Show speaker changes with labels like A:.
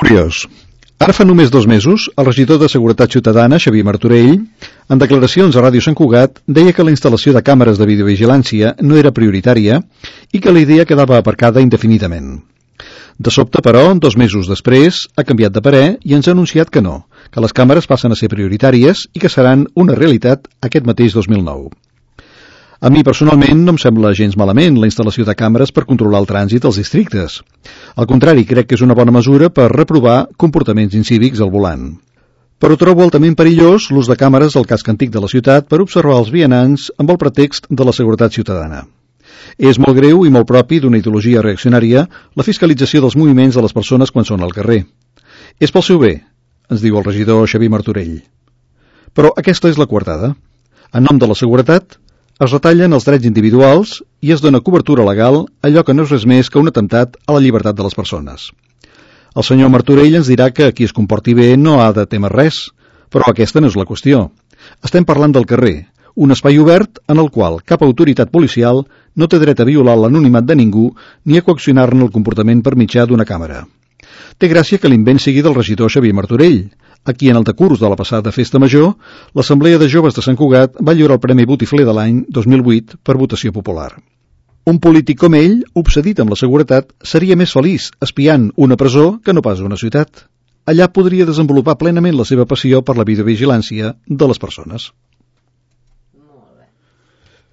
A: Curiós. Ara fa només 2 mesos, el regidor de Seguretat Ciutadana, Xavier Martorell, en declaracions a Ràdio Sant Cugat, deia que la instal·lació de càmeres de videovigilància no era prioritària i que la idea quedava aparcada indefinidament. De sobte, però, 2 mesos després, ha canviat de parer i ens ha anunciat que no, que les càmeres passen a ser prioritàries i que seran una realitat aquest mateix 2009. A mi, personalment, no em sembla gens malament la instal·lació de càmeres per controlar el trànsit als districtes. Al contrari, crec que és una bona mesura per reprovar comportaments incívics al volant. Però trobo altament perillós l'ús de càmeres al casc antic de la ciutat per observar els vianants amb el pretext de la seguretat ciutadana. És molt greu i molt propi d'una ideologia reaccionària la fiscalització dels moviments de les persones quan són al carrer. És pel seu bé, ens diu el regidor Xavier Martorell. Però aquesta és la coartada. En nom de la seguretat, es retallen els drets individuals i es dona cobertura legal a allò que no és res més que un atemptat a la llibertat de les persones. El senyor Martorell ens dirà que qui es comporti bé no ha de témer res, però aquesta no és la qüestió. Estem parlant del carrer, un espai obert en el qual cap autoritat policial no té dret a violar l'anonimat de ningú ni a coaccionar-ne el comportament per mitjà d'una càmera. Té gràcia que l'invent sigui del regidor Xavier Martorell, a qui en el decurs de la passada festa major, l'Assemblea de Joves de Sant Cugat va lliurar el Premi Botifler de l'any 2008 per votació popular. Un polític com ell, obsedit amb la seguretat, seria més feliç espiant una presó que no pas una ciutat. Allà podria desenvolupar plenament la seva passió per la videovigilància de les persones.